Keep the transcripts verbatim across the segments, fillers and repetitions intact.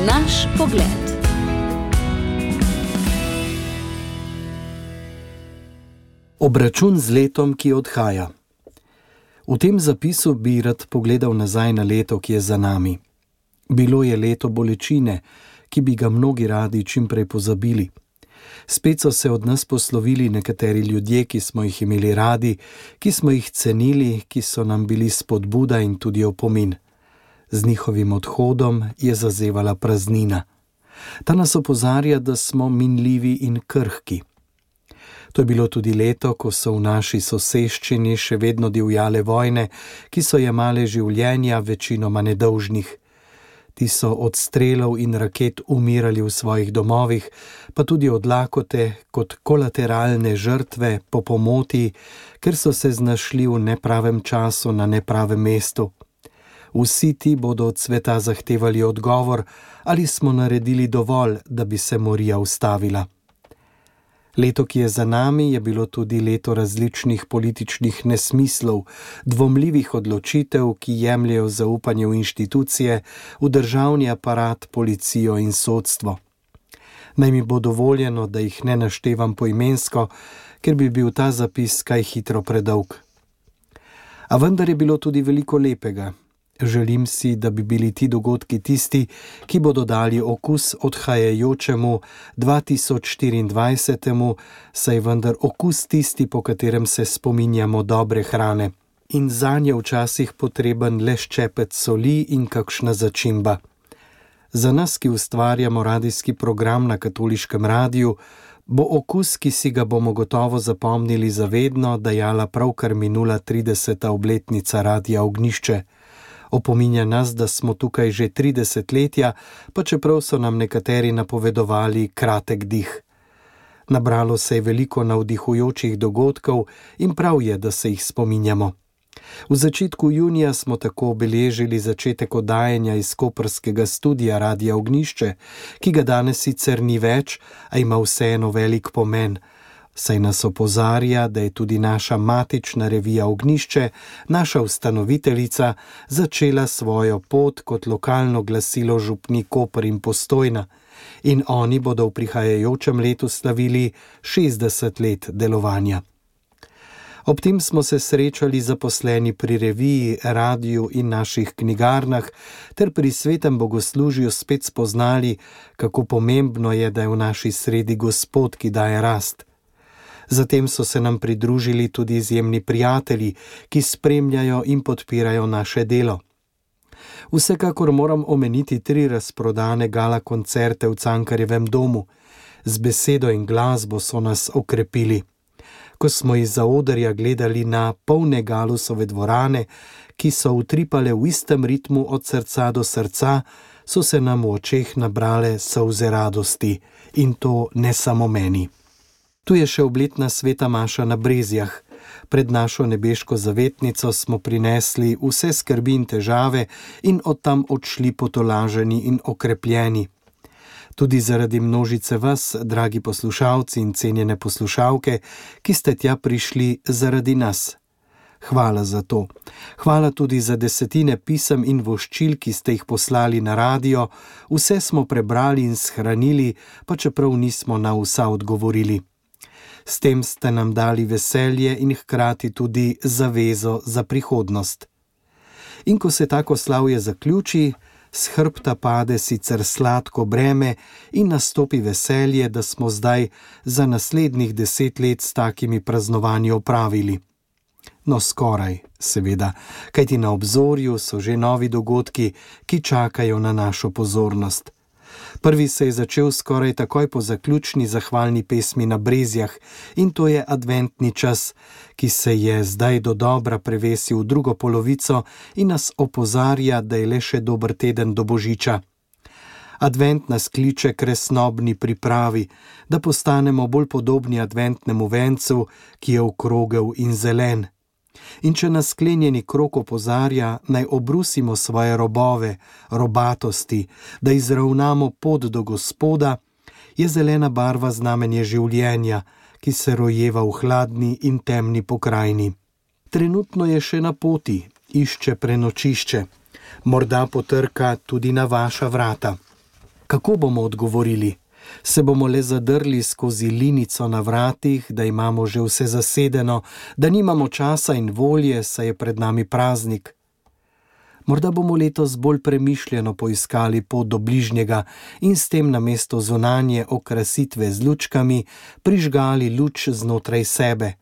Naš pogled. Obračun z letom, ki odhaja. V tem zapisu bi rad pogledal nazaj na leto, ki je za nami. Bilo je leto bolečine, ki bi ga mnogi radi čimprej pozabili. Spet so se od nas poslovili nekateri ljudje, ki smo jih imeli radi, ki smo jih cenili, ki so nam bili spodbuda in tudi opomin. Z njihovim odhodom je zazevala praznina. Ta nas opozarja, da smo minljivi in krhki. To je bilo tudi leto, ko so v naši soseščini še vedno divjale vojne, ki so jemale življenja večinoma nedolžnih. Ti so od strelov in raket umirali v svojih domovih, pa tudi od lakote kot kolateralne žrtve po pomoti, ker so se znašli v nepravem času na nepravem mestu. Vsi ti bodo od sveta zahtevali odgovor, ali smo naredili dovolj, da bi se morija ustavila. Leto, ki je za nami, je bilo tudi leto različnih političnih nesmislov, dvomljivih odločitev, ki jemljejo zaupanje v inštitucije, v državni aparat, policijo in sodstvo. Naj mi bo dovoljeno, da jih ne naštevam poimensko, ker bi bil ta zapis kaj hitro predolg. A vendar je bilo tudi veliko lepega. Želim si, da bi bili ti dogodki tisti, ki bodo dali okus odhajajočemu dva tisoč štiriindvajsetemu, saj vendar okus tisti, po katerem se spominjamo dobre hrane. In zanje včasih potreben le ščepec soli in kakšna začimba. Za nas, ki ustvarjamo radijski program na Katoliškem radiju, bo okus, ki si ga bomo gotovo zapomnili zavedno, dajala pravkar minula trideseta obletnica Radia Ognjišče. Opominja nas, da smo tukaj že tri desetletja, pa čeprav so nam nekateri napovedovali kratek dih. Nabralo se je veliko navdihujočih dogodkov in prav je, da se jih spominjamo. V začetku junija smo tako obeležili začetek oddajanja iz koprskega studia Radia Ognjišče, ki ga danes sicer ni več, a ima vseeno velik pomen, saj nas opozarja, da je tudi naša matična revija Ognjišče, naša ustanoviteljica, začela svojo pot kot lokalno glasilo župni Koper in Postojna in oni bodo v prihajajočem letu slavili šestdeset let delovanja. Ob tem smo se srečali zaposleni pri reviji, radiju in naših knjigarnah ter pri svetem bogoslužju spet spoznali, kako pomembno je, da je v naši sredi Gospod, ki daje rast. Zatem so se nam pridružili tudi izjemni prijatelji, ki spremljajo in podpirajo naše delo. Vsekakor moram omeniti tri razprodane gala koncerte v Cankarjevem domu. Z besedo in glasbo so nas okrepili. Ko smo iz zaodrja gledali na polne Galusove dvorane, ki so utripale v istem ritmu od srca do srca, so se nam v očeh nabrale solze radosti. In to ne samo meni. Tu je še obletna sveta maša na Brezjah. Pred našo nebeško zavetnico smo prinesli vse skrbi in težave in od tam odšli potolaženi in okrepljeni. Tudi zaradi množice vas, dragi poslušalci in cenjene poslušalke, ki ste tja prišli zaradi nas. Hvala za to. Hvala tudi za desetine pisem in voščil, ki ste jih poslali na radio. Vse smo prebrali in shranili, pa čeprav nismo na vsa odgovorili. S tem ste nam dali veselje in hkrati tudi zavezo za prihodnost. In ko se tako slavje zaključi, s hrbta pade sicer sladko breme in nastopi veselje, da smo zdaj za naslednjih deset let s takimi praznovanji opravili. No, skoraj, seveda, kajti na obzorju so že novi dogodki, ki čakajo na našo pozornost. Prvi se je začel skoraj takoj po zaključni zahvalni pesmi na Brezjah in to je adventni čas, ki se je zdaj dodobra prevesil v drugo polovico in nas opozarja, da je le še dober teden do Božiča. Advent nas kliče k resnobni pripravi, da postanemo bolj podobni adventnemu vencu, ki je okrogel in zelen. In če nas sklenjeni krog opozarja, naj obrusimo svoje robove, robatosti, da izravnamo pot do Gospoda, je zelena barva znamenje življenja, ki se rojeva v hladni in temni pokrajini. Trenutno je še na poti, išče prenočišče, morda potrka tudi na vaša vrata. Kako bomo odgovorili? Se bomo le zadrli skozi linico na vratih, da imamo že vse zasedeno, da nimamo časa in volje, saj je pred nami praznik? Morda bomo letos bolj premišljeno poiskali pot do bližnjega in s tem namesto zunanje okrasitve z lučkami prižgali luč znotraj sebe.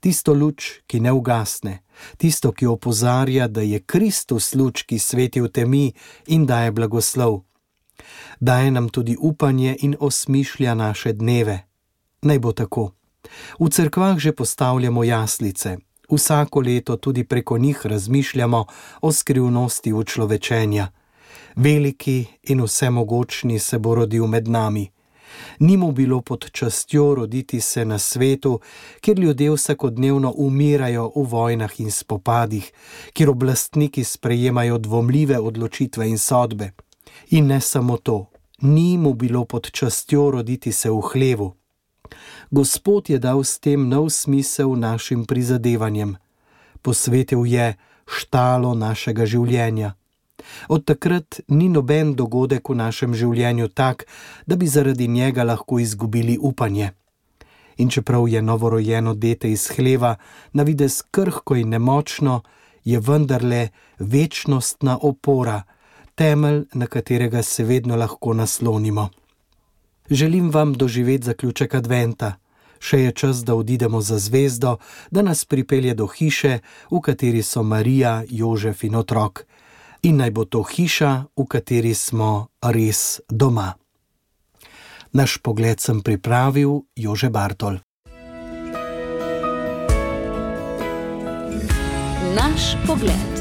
Tisto luč, ki ne ugasne, tisto, ki opozarja, da je Kristus luč, ki sveti v temi in daje blagoslov. Daje nam tudi upanje in osmišlja naše dneve. Naj bo tako. V cerkvah že postavljamo jaslice. Vsako leto tudi preko njih razmišljamo o skrivnosti učlovečenja. Veliki in vsemogočni se bo rodil med nami. Ni mu bilo pod častjo roditi se na svetu, kjer ljudje vsakodnevno umirajo v vojnah in spopadih, kjer oblastniki sprejemajo dvomljive odločitve in sodbe. In ne samo to, ni mu bilo pod častjo roditi se v hlevu. Gospod je dal s tem nov smisel našim prizadevanjem. Posvetil je štalo našega življenja. Od takrat ni noben dogodek v našem življenju tak, da bi zaradi njega lahko izgubili upanje. In čeprav je novorojeno dete iz hleva na videz krhko in nemočno, je vendarle večnostna opora, temelj, na katerega se vedno lahko naslonimo. Želim vam doživeti zaključek adventa. Še je čas, da odidemo za zvezdo, da nas pripelje do hiše, v kateri so Marija, Jožef in otrok. In naj bo to hiša, v kateri smo res doma. Naš pogled sem pripravil Jože Bartol. Naš pogled.